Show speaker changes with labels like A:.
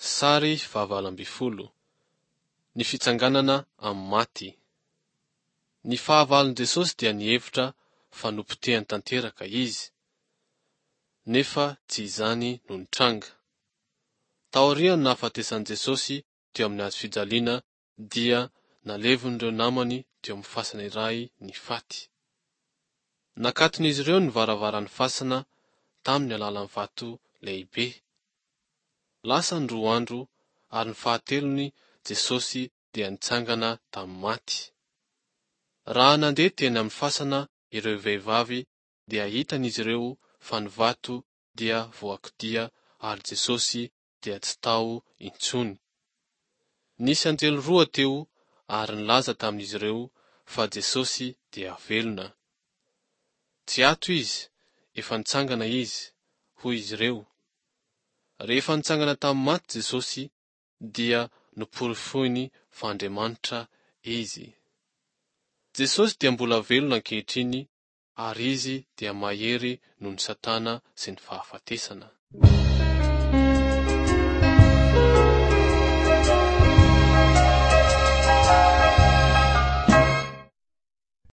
A: Sary faha-18. Ny fitsanganana amin'ny maty. Ny fahavalon'i Jesosy dia nihevitra fa nopotehany tanteraka izy. Nefa tsy izany no nitranga. Taorian'ny nahafatesan'i Jesosy teo amin'ny hazo fijaliana dia nalevin'ireo namany teo amin'ny fasana iray ny faty. Nakaton'izy ireo ny varavaran'ny fasana tamin'ny alalan'ny vato lehibe. Lasa ny roa andro ary ny fahatelony Jesosy dia nitsangana tamin'ny maty. Raha nandeha teny amin'ny fasana ireo vehivavy dia hitan'izy ireo fa ny vato dia voakodia ary Jesosy dia tsy tao intsony. Nisy anjely roa teo ary nilaza tamin'izy ireo fa Jesosy dia velona. Tsy ato izy, efa nitsangana izy, hoy izy ireo. Rehefa nitsangana tamin'ny maty Jesosy dia noporofoiny fa Andriamanitra Izy. Jesosy dia mbola velona ankehitriny ary Izy dia mahery noho ny Satana sy ny fahafatesana.